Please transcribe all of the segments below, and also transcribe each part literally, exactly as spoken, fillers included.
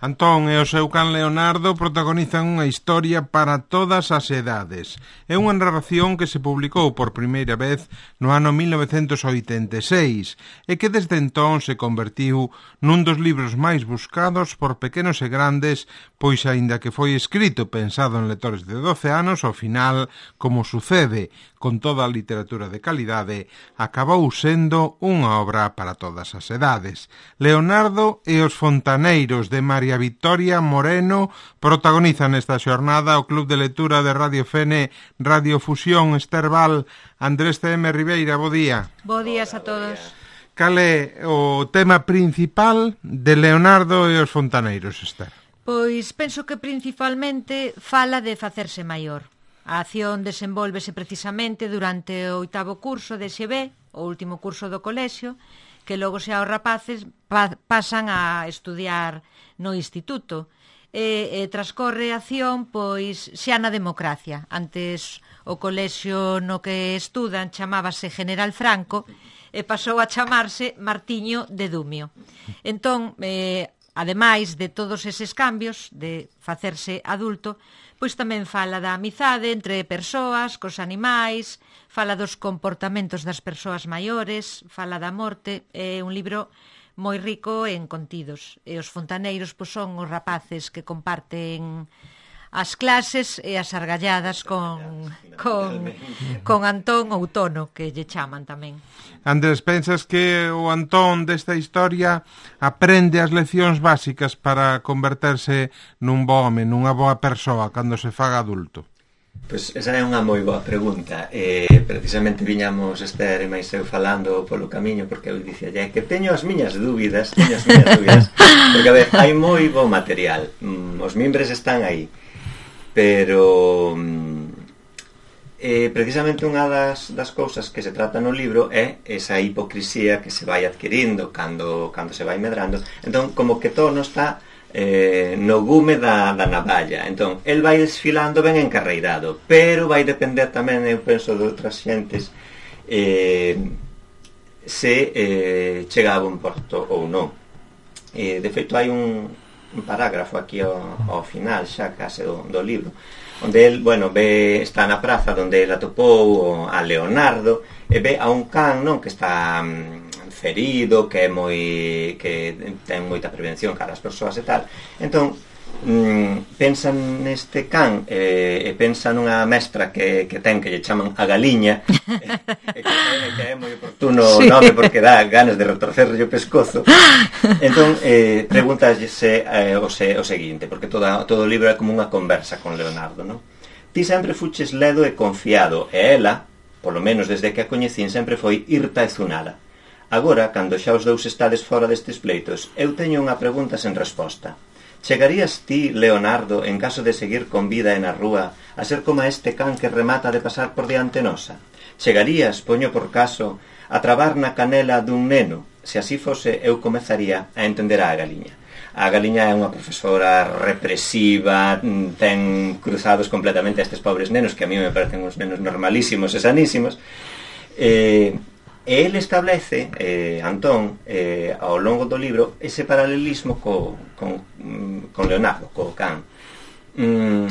Antón e o seu can Leonardo protagonizan unha historia para todas as edades. É unha narración que se publicou por primeira vez no ano mil novecentos oitenta e seis e que desde entón se convertiu nun dos libros máis buscados por pequenos e grandes, pois aínda que foi escrito pensado en lectores de doce anos, ao final, como sucede con toda a literatura de calidade, acabou sendo unha obra para todas as edades. Leonardo e os fontaneiros de María Victoria Moreno protagonizan esta xornada o Club de Lectura de Radio Fene, Radio Fusión, Esterbal. Andrés C M Ribeira, bo día. Bo días a todos. Cal é o tema principal de Leonardo e os fontaneiros, Esther? Pois penso que principalmente fala de facerse maior. A acción desenvólvese precisamente durante o oitavo curso de X B, o último curso do colexio, que logo xa os rapaces pa pasan a estudiar no instituto. E, e transcorre a acción pois xa na democracia. Antes o colexio no que estudan chamábase General Franco e pasou a chamarse Martiño de Dumio. Entón, eh, ademais de todos eses cambios de facerse adulto, pois tamén fala da amizade entre persoas, cos animais, fala dos comportamentos das persoas maiores, fala da morte. É un libro moi rico en contidos. E os fontaneiros pois, son os rapaces que comparten as clases e as argalladas con, con, con Antón ou Tono, que lle chaman tamén. Andrés, pensas que o Antón desta historia aprende as leccións básicas para converterse nun bo home, nunha boa persoa cando se faga adulto? Pois esa é unha moi boa pregunta. eh, Precisamente viñamos Esther e máis eu falando polo camiño, porque eu dicía ya que teño as miñas dúbidas Teño as miñas dúbidas Porque a ver, hai moi bo material, mm, os mimbres están aí, pero eh, precisamente unha das, das cousas que se trata no libro é esa hipocrisía que se vai adquirindo cando, cando se vai medrando. Entón, como que todo non está eh, no gume da, da navalla. Entón, el vai desfilando ben encarreirado, pero vai depender tamén, eu penso, de outras xentes eh, se eh, chega a bon porto ou non. eh, De feito, hai un un parágrafo aquí ao, ao final xa case do, do libro, onde el, bueno, ve, está na praza onde el atopou a Leonardo e ve a un can, non, que está um, ferido, que é moi que ten moita prevención cara as persoas e tal. Entón mm, pensa neste can e, e pensa nunha mestra que, que ten, que lle chaman a Galiña, e, e que, que é moi oportuno o sí. nome, porque dá ganas de retorcerlle o pescozo. Entón eh, pregúntase eh, o, se, o seguinte, porque toda, todo o libro é como unha conversa con Leonardo, non? Ti sempre fuches ledo e confiado, e ela, polo menos desde que a coñecín, sempre foi irta e zunada. Agora, cando xa os dous estades fora destes pleitos, eu teño unha pregunta sen resposta. Chegarías ti, Leonardo, en caso de seguir con vida e na rúa, a ser como este can que remata de pasar por diante nosa? Chegarías, poño por caso, a trabar na canela dun neno? Se así fose, eu comezaría a entender a Galiña. A Galiña é unha profesora represiva, ten cruzados completamente a estes pobres nenos, que a mí me parecen uns nenos normalísimos e sanísimos. E... E ele establece, eh, Antón, eh, ao longo do libro, ese paralelismo co, con, con Leonardo, co can. Mm,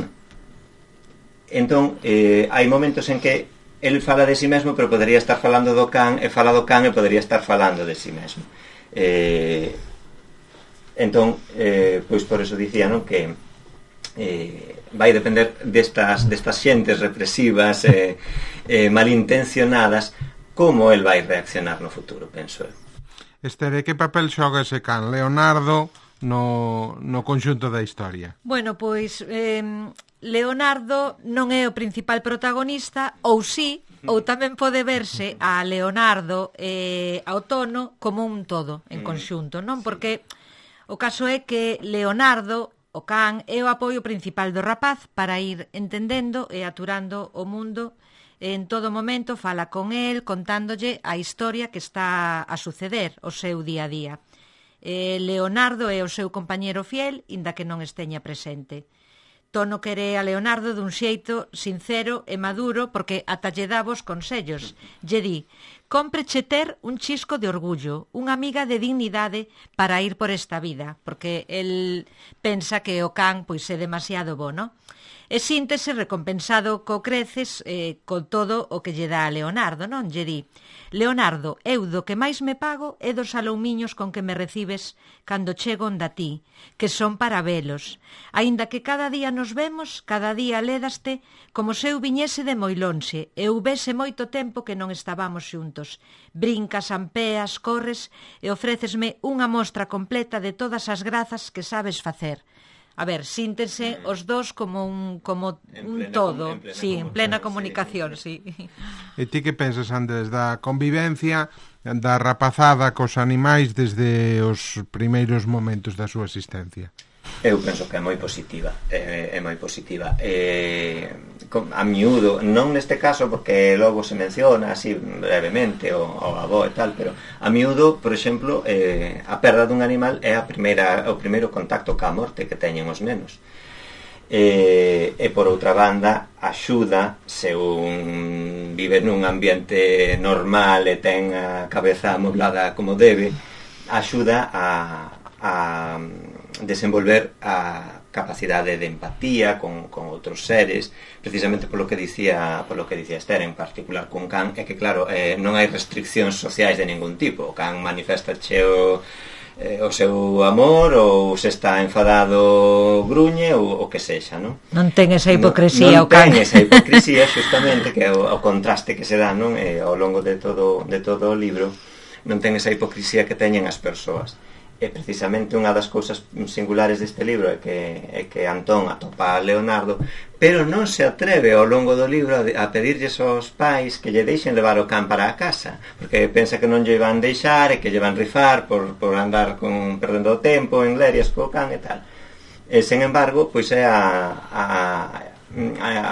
entón, eh, hai momentos en que el fala de si mesmo, pero podería estar falando do can, e fala do can e podería estar falando de si mesmo. Eh, entón, eh, pois por eso dicía, non, que eh, vai depender destas, destas xentes represivas e eh, eh, malintencionadas, como el vai reaccionar no futuro, penso eu. Esther, que papel xoga ese can Leonardo no, no conxunto da historia? Bueno, pois eh, Leonardo non é o principal protagonista, ou sí, ou tamén pode verse a Leonardo e ao Tono como un todo, en conxunto, non? Porque o caso é que Leonardo, o can, é o apoio principal do rapaz para ir entendendo e aturando o mundo. En todo momento fala con el, contándolle a historia que está a suceder, o seu día a día. Eh, Leonardo é o seu compañeiro fiel, inda que non esteña presente. Tono quere a Leonardo dun xeito sincero e maduro, porque ata lle dá vos consellos. Lle di, cómpreche ter un chisco de orgullo, unha amiga de dignidade para ir por esta vida, porque el pensa que o can pois é demasiado bo, non? E síntese recompensado co creces eh, con todo o que lle dá a Leonardo, non? Lle di: Leonardo, eu do que máis me pago é dos aloumiños con que me recibes cando chego onda ti, que son para velos. Aínda que cada día nos vemos, cada día lédaste como se eu viñese de moi lonxe, e houvese moito tempo que non estábamos xuntos. Brincas, ampeas, corres e ofrécesme unha mostra completa de todas as grazas que sabes facer. A ver, síntense os dos como un como un todo, sí, en plena comunicación, sí. E ti que pensas, Andrés, da convivencia, da rapazada cos animais desde os primeiros momentos da súa existencia? Eu penso que é moi positiva, é, é moi positiva. É, a miúdo, non neste caso porque logo se menciona así brevemente o, o avó e tal, pero a miúdo, por exemplo, eh, a perda dun animal é a primeira, o primeiro contacto ca morte que teñen os nenos. E, e por outra banda, axuda, se un vive nun ambiente normal e ten a cabeza amoblada como debe, axuda a, a desenvolver a capacidade de empatía con, con outros seres, precisamente polo que dicía polo que dicía Esther, en particular con can, é que claro, eh, non hai restriccións sociais de ningún tipo. O can manifesta o, eh, o seu amor, ou se está enfadado gruñe, ou o que sexa, non? Non ten esa hipocresía non, non o can. ten esa hipocresía, justamente, que é o, o contraste que se dá, non? Eh, ao longo de todo, de todo o libro, non ten esa hipocresía que teñen as persoas. E precisamente unha das cousas singulares deste libro é que, é que Antón atopa a Leonardo, pero non se atreve ao longo do libro a, a pedirlles aos pais que lle deixen levar o can para a casa, porque pensa que non lle van deixar e que lle van rifar por, por andar con, perdendo o tempo en lerias co can e tal. E, sen embargo, pois é a, a,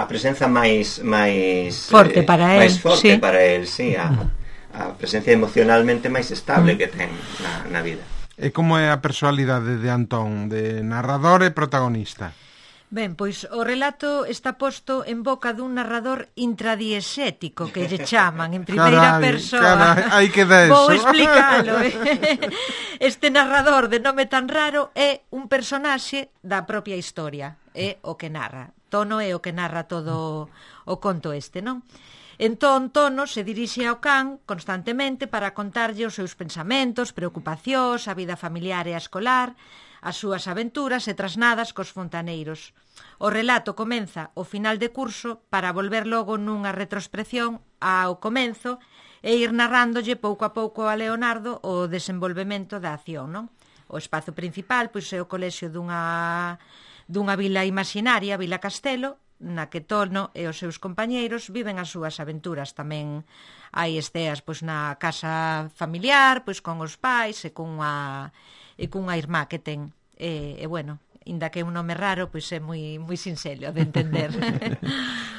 a presenza máis máis forte para eh, él, máis forte sí. para él, sí, a, a presencia emocionalmente máis estable que ten na, na vida. E como é a personalidade de Antón, de narrador e protagonista? Ben, pois o relato está posto en boca dun narrador intradiexético, que lle chaman, en primeira carai, persoa. Carai, hai que dar eso. Vou explícalo. Eh? Este narrador de nome tan raro é un personaxe da propia historia, é o que narra. Tono é o que narra todo o conto este, non? Entón, Tono se dirixe ao can constantemente para contarlle os seus pensamentos, preocupacións, a vida familiar e a escolar, as súas aventuras e trasnadas cos fontaneiros. O relato comeza ao final de curso para volver logo nunha retrospección ao comenzo e ir narrándolle pouco a pouco a Leonardo o desenvolvemento da acción, non? O espazo principal pois é o colexio dunha, dunha vila imaginaria, Vila Castelo, na que Tono e os seus compañeiros viven as súas aventuras. Tamén hai esteas pois na casa familiar, pois con os pais e cunha e cunha irmá que ten. E, e bueno, inda que é un nome raro, pois é moi moi sinxelo de entender.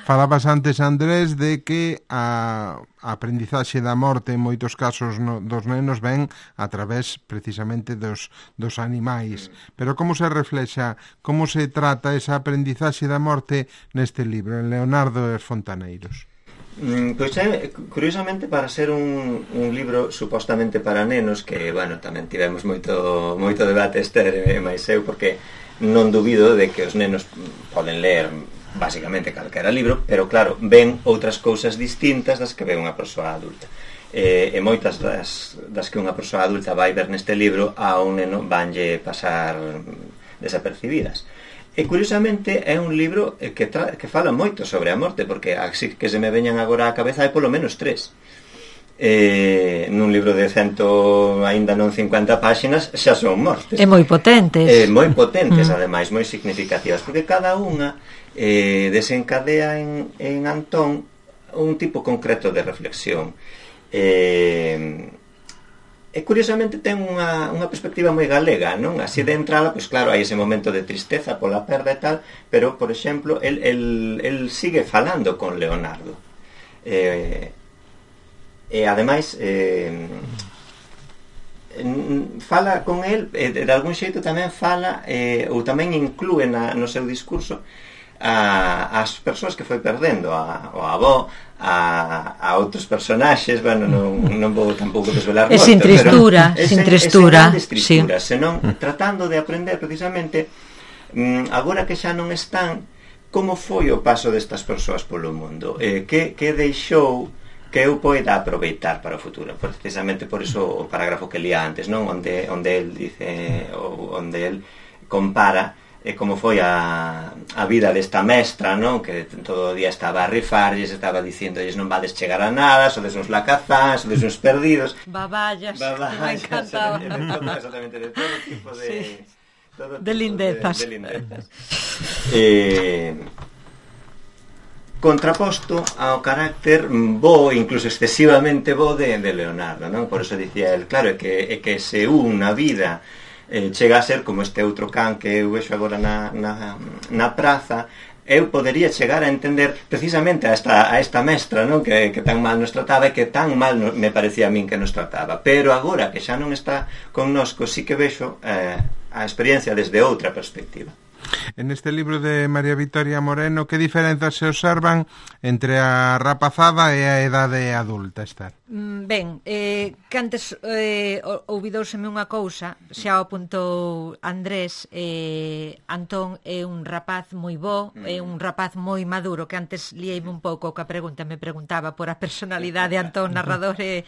Falabas antes, Andrés, de que a, a aprendizaxe da morte en moitos casos no, dos nenos ven a través precisamente dos, dos animais. Pero como se reflexa, como se trata esa aprendizaxe da morte neste libro, en Leonardo e os fontaneiros? Mm, pois é, curiosamente, para ser un, un libro supostamente para nenos, que, bueno, tamén tivemos moito, moito debate Esther e máis eu, porque non dubido de que os nenos poden ler basicamente calquera libro, pero claro, ven outras cousas distintas das que ve unha persoa adulta. E, e moitas das, das que unha persoa adulta vai ver neste libro a un neno vanlle pasar desapercibidas. E curiosamente é un libro que, tra- que fala moito sobre a morte, porque así que se me veñan agora á cabeza hai polo menos tres. Eh, nun libro de cento, aínda non cincuenta páxinas, xa son mortes. É moi potentes. Eh, moi potentes, mm. ademais, moi significativas, porque cada unha eh, desencadea en, en Antón un tipo concreto de reflexión. Eh, e curiosamente ten unha, unha perspectiva moi galega, non? Así de entrada, pois claro, hai ese momento de tristeza pola perda e tal, pero, por exemplo, el, el, el sigue falando con Leonardo. Eh, e ademais eh, fala con el e de algún xeito tamén fala eh, ou tamén inclúe na, no seu discurso a, as persoas que foi perdendo, a, o avó, a, a outros personaxes, bueno, non, non vou tampouco desvelar moito, é sin tristura, pero sin tristura, é sin tristura, sí. Senón tratando de aprender precisamente mm, agora que xa non están, como foi o paso destas persoas polo mundo, eh, que, que deixou que eu poida aproveitar para o futuro. Precisamente por iso o parágrafo que lía antes, non? Onde, onde el dice, onde el compara eh, como foi a, a vida desta mestra, non? Que todo o día estaba a rifarlles, estaba dicindo, non vades chegar a nada, sodes uns lacazás, sodes uns perdidos. Baballas, Baballas, que me encantaba. Exactamente, de todo tipo de... Sí. Todo tipo de lindezas. De, de lindezas. eh... contraposto ao carácter bo, incluso excesivamente bo de, de Leonardo, non? Por eso dicía el, claro, é que, é que se un na vida eh, chega a ser como este outro can que eu vexo agora na, na, na praza, eu podería chegar a entender precisamente a esta, a esta mestra, non? Que, que tan mal nos trataba e que tan mal no, me parecía a min que nos trataba, pero agora que xa non está connosco, sí que vexo eh, a experiencia desde outra perspectiva. En este libro de María Victoria Moreno, que diferenzas se observan entre a rapazada e a edade adulta, Esther? Ben, eh, que antes eh, ouvidouseme unha cousa, xa o apuntou Andrés, eh, Antón é un rapaz moi bo, é un rapaz moi maduro, que antes liei un pouco que a pregunta me preguntaba por a personalidade de Antón narrador e,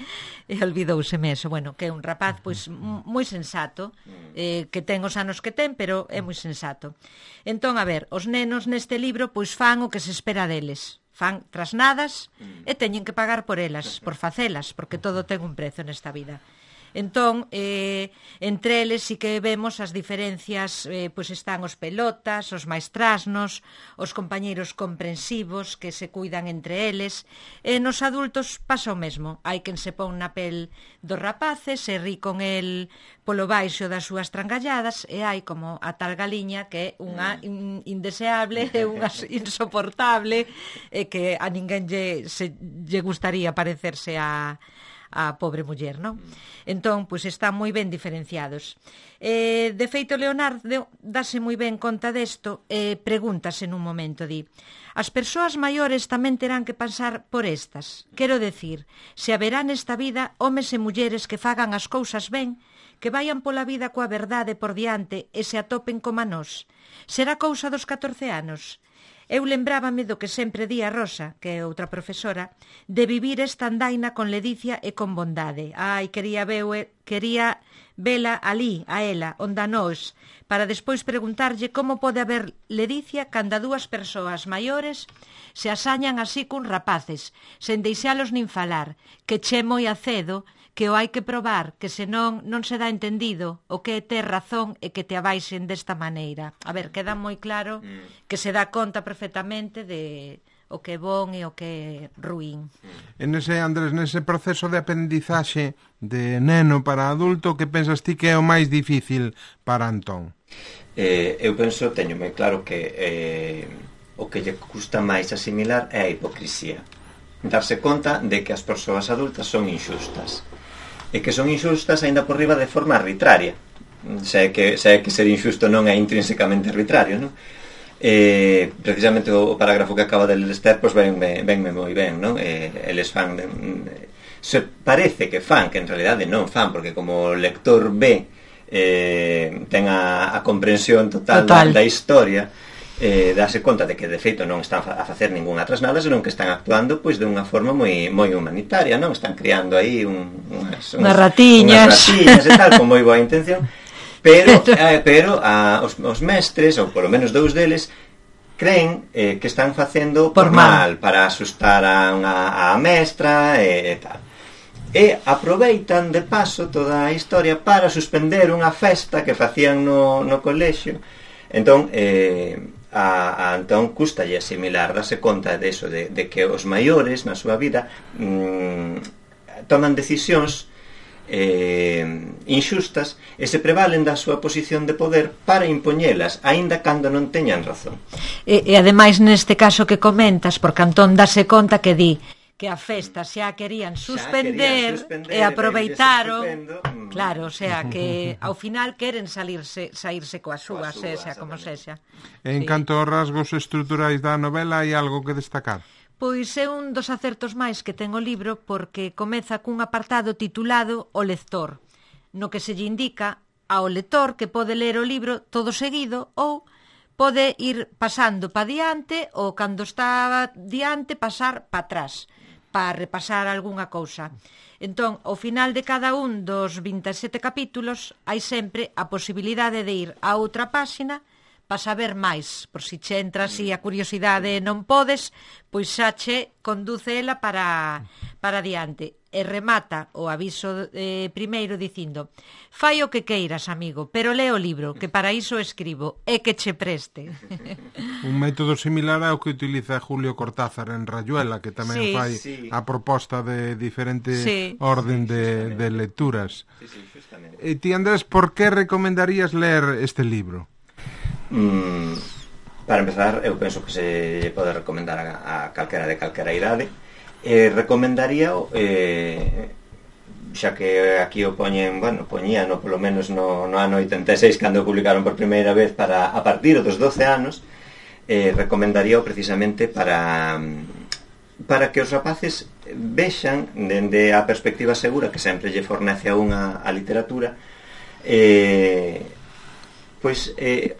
e olvidouseme eso, bueno, que é un rapaz pois moi sensato, eh, que ten os anos que ten, pero é moi sensato. Entón, a ver, os nenos neste libro pois fan o que se espera deles. Fan trasnadas e teñen que pagar por elas, por facelas, porque todo ten un prezo nesta vida. Entón, eh, entre eles sí que vemos as diferencias, eh, pois están os pelotas, os máis trasnos, os compañeiros comprensivos que se cuidan entre eles, e nos adultos pasa o mesmo. Hai quen se pon na pel dos rapaces, se ri con el polo baixo das súas trangalladas, e hai como a tal galiña que é unha in, indeseable, é unha insoportable, e que a ninguén lle, se, lle gustaría parecerse a... a pobre muller, non? Entón, pois están moi ben diferenciados. Eh, de feito, Leonardo dase moi ben conta desto e eh, pregúntase nun momento, di: as persoas maiores tamén terán que pasar por estas. Quero decir, se haberá nesta vida homes e mulleres que fagan as cousas ben, que vayan pola vida coa verdade por diante e se atopen como a nós. Será cousa dos catorce anos? Eu lembrábame do que sempre di a Rosa, que é outra profesora, de vivir esta andaina con ledicia e con bondade. Ai, quería, veu, quería vela ali, a ela, onda nós, para despois preguntarlle como pode haber ledicia cando dúas persoas maiores se asañan así cun rapaces, sen deixalos nin falar, que che moi acedo, que o hai que probar, que senón non se dá entendido o que é ter razón e que te abaixen desta maneira. A ver, queda moi claro que se dá conta perfectamente de o que é bon e o que é ruín. En ese, Andrés, nese proceso de aprendizaxe de neno para adulto, que pensas ti que é o máis difícil para Antón? Eh, eu penso, teño moi claro que eh, o que lle custa máis asimilar é a hipocrisía. Darse conta de que as persoas adultas son inxustas. E que son inxustas aínda por riba de forma arbitraria. Se é que, se é que ser inxusto non é intrínsecamente arbitrario, non? Eh, precisamente o, o parágrafo que acaba de ler Esther, pois venme, venme moi ben, non? Eh, eles fan de, se parece que fan, que en realidade non fan, porque como o lector ve eh, ten a, a comprensión total, total. Da, da historia, eh, dase conta de que de feito non están a facer ningunha trasnada, senón que están actuando pois de unha forma moi moi humanitaria, non? Están criando aí un, unhas, unhas ratiñas, unhas ratiñas e tal, con moi boa intención, pero eh, pero a, os, os mestres, ou polo menos dous deles, creen eh, que están facendo por, por mal, mal, para asustar a, unha, a mestra e, e tal. E aproveitan de paso toda a historia para suspender unha festa que facían no, no colexio. Entón, eh, a, a Antón custalle asimilar, darse conta de eso, de, de que os maiores na súa vida mmm, toman decisións eh, inxustas e se prevalen da súa posición de poder para impoñelas, aínda cando non teñan razón. E, e ademais neste caso que comentas, porque Antón dase conta que di que a festa xa querían suspender, suspender e aproveitaron, mm. claro, o sea, que ao final queren salirse, saírse coas súas, súa, sexa como sexa. En Sí. canto aos rasgos estruturais da novela, hai algo que destacar? Pois é un dos acertos máis que ten o libro porque comeza cun apartado titulado O lector, no que se lle indica ao lector que pode ler o libro todo seguido ou pode ir pasando pa diante ou cando está diante pasar pa atrás para repasar algunha cousa. Entón, ao final de cada un dos vinte e sete capítulos hai sempre a posibilidade de ir a outra páxina para saber máis, por si che entras e a curiosidade non podes, pois xa che conduce ela para, para diante. E remata o aviso eh, primeiro dicindo: fai o que queiras, amigo, pero lee o libro, que para iso escribo, e que che preste. Un método similar ao que utiliza Julio Cortázar en Rayuela, que tamén Sí, fai sí. a proposta de diferente Sí. orden de, de lecturas. Sí, sí, justamente. E ti, Andrés, por que recomendarías ler este libro? Mm, para empezar, eu penso que se pode recomendar a, a calquera de calquera idade. Eh, recomendaría eh, xa que aquí o poñen, bueno, poñíano polo menos no, no ano oitenta e seis cando o publicaron por primeira vez para a partir dos doce anos, eh, recomendaría precisamente para para que os rapaces vexan dende a perspectiva segura que sempre lle fornece a unha a literatura, eh, pois eh,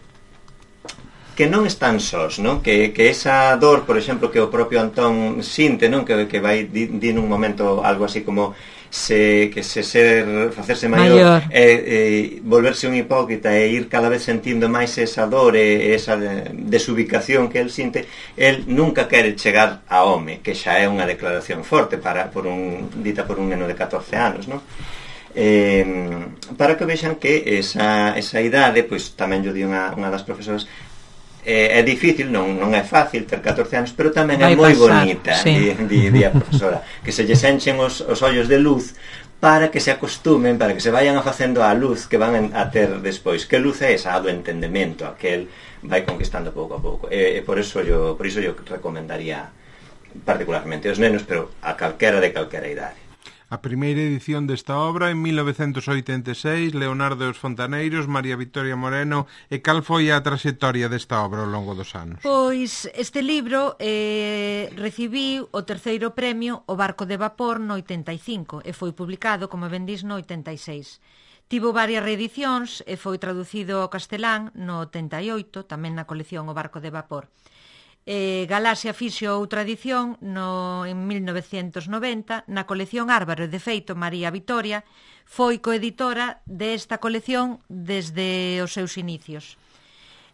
que non están sós, non? Que, que esa dor, por exemplo, que o propio Antón sinte, non? Que, que vai di, di nun momento algo así como se, que se ser, facerse maior, Maior. E, e volverse un hipócrita e ir cada vez sentindo máis esa dor e esa desubicación que el sinte, el nunca quere chegar a home, que xa é unha declaración forte para, por un, dita por un neno de catorce anos, non? Eh, para que vexan que esa, esa idade, pois tamén yo di unha, unha das profesoras, é difícil, non, non é fácil ter catorce anos, pero tamén é moi bonita, sí. di, di, di a profesora, que se lles enchen os, os ollos de luz para que se acostumen, para que se vayan a facendo a luz que van a ter despois. Que luz é esa? A do entendemento, a que el vai conquistando pouco a pouco. E, e por iso yo, por iso yo recomendaría particularmente aos nenos, pero a calquera de calquera idade. A primeira edición desta obra en mil novecentos oitenta e seis, Leonardo e os Fontaneiros, María Victoria Moreno. E cal foi a traxectoria desta obra ao longo dos anos? Pois este libro eh, recibiu o terceiro premio O barco de vapor no oitenta e cinco e foi publicado, como ben dis, no oitenta e seis. Tivo varias reedicións e foi traducido ao castelán no oitenta e oito, tamén na colección O barco de vapor. Eh, Galaxia fixo outra edición no, en mil novecentos noventa na colección Árbaro, e de feito María Victoria foi coeditora desta colección desde os seus inicios.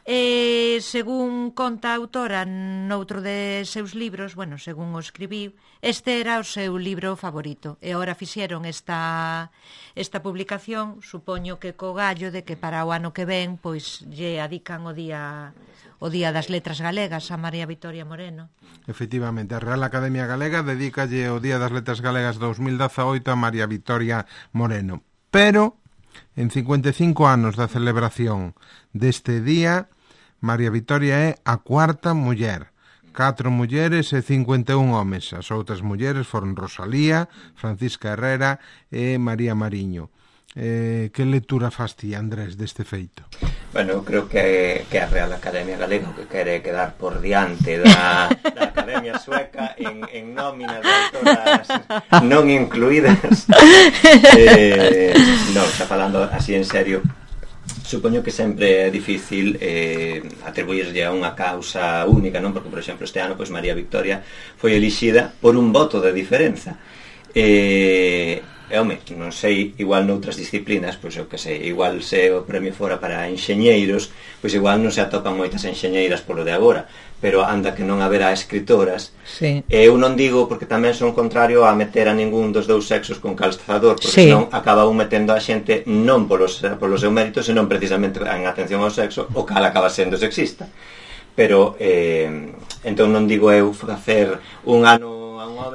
E, según conta a autora noutro de seus libros, bueno, según o escribiu, este era o seu libro favorito. E agora fixeron esta, esta publicación, supoño que co gallo de que para o ano que ven pois lle adican o día o Día das Letras Galegas a María Victoria Moreno. Efectivamente, a Real Academia Galega dedícalle o Día das Letras Galegas dos mil dezaoito a María Victoria Moreno. Pero, en cincuenta e cinco anos da celebración deste día, María Victoria é a cuarta muller. Catro mulleres e cincuenta e un homes. As outras mulleres foron Rosalía, Francisca Herrera e María Mariño. Eh, que lectura fas ti, Andrés, deste feito? Bueno, eu creo que, que a Real Academia Galega que quere quedar por diante da, da Academia Sueca en, en nómina de autoras non incluídas. Eh, non, está falando así en serio. Supoño que sempre é difícil eh, atribuirlle a unha causa única, non? Porque, por exemplo, este ano pois María Victoria foi elixida por un voto de diferenza. Eh, E, home, non sei, igual noutras disciplinas, pois eu que sei, igual se o premio fora para enxeñeiros, pois igual non se atopan moitas enxeñeiras polo de agora, pero anda que non haberá escritoras. Sí. E eu non digo porque tamén son contrario a meter a ningún dos dous sexos con calzador, porque sí. senón acaba un metendo a xente non polos, polos seus méritos, senón precisamente en atención ao sexo, o cal acaba sendo sexista. Pero, eh, entón non digo eu facer un ano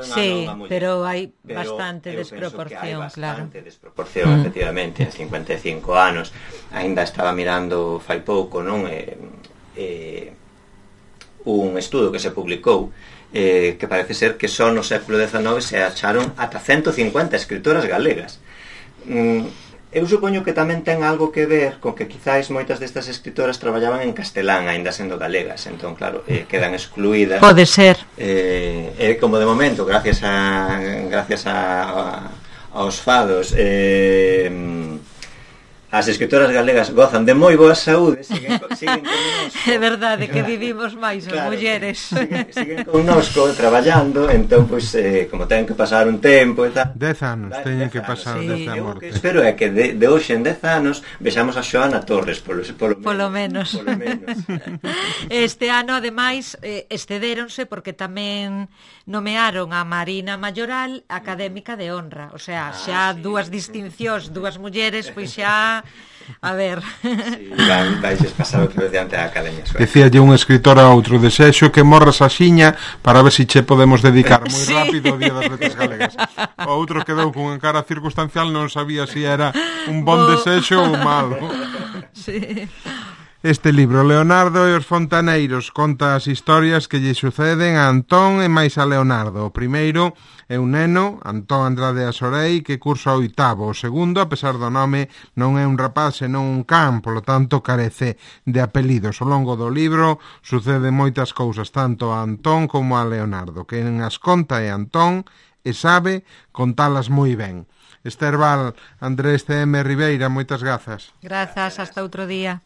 sí, pero hai pero bastante desproporción, hai claro. bastante desproporción, mm. efectivamente, en cincuenta e cinco anos. Ainda estaba mirando fai pouco, non? Eh, eh, un estudo que se publicou eh, que parece ser que só no século dezenove se acharon ata ciento cincuenta escritoras galegas. Mm, eu supoño que tamén ten algo que ver con que quizáis moitas destas escritoras traballaban en castelán, aínda sendo galegas, entón claro, eh, quedan excluídas. Pode ser. Eh, eh, como de momento, gracias a gracias a, a aos fados, eh, as escritoras galegas gozan de moi boa saúde, siguen, siguen connosco. É verdade que vivimos máis as claro, mulleres. Siguen, siguen connosco traballando, entón, pois, eh, como ten que pasar un tempo e tal. Dez anos teñen que pasar sí. desde a Eu morte. que espero é que de, de hoxe en dez anos vexamos a Xoana Torres, polo, polo, Polo menos. Polo menos. Este ano, ademais, eh, excedéronse porque tamén nomearon a Marina Mayoral académica de honra. O sea, xa Ah, sí. dúas distincións, dúas mulleres, pois xa... A ver... Sí, van, vais pasar outra vez diante da Academia Sueca. Decíalle un escritor a outro: desexo que morras a xiña para ver se si che podemos dedicar moi Sí. rápido o Día das Letras Galegas. O outro quedou con cara circunstancial, non sabía se si era un bon Bo... desexo ou malo. Sí. Este libro, Leonardo e os fontaneiros, conta as historias que lle suceden a Antón e máis a Leonardo. O primeiro é un neno, Antón Andrade Asorei, que cursa o oitavo. O segundo, a pesar do nome, non é un rapaz senón un can, polo tanto carece de apelidos. Ao longo do libro suceden moitas cousas, tanto a Antón como a Leonardo. Quen as conta é Antón e sabe contalas moi ben. Esther Val, Andrés C M Ribeira, moitas grazas. Grazas, hasta outro día.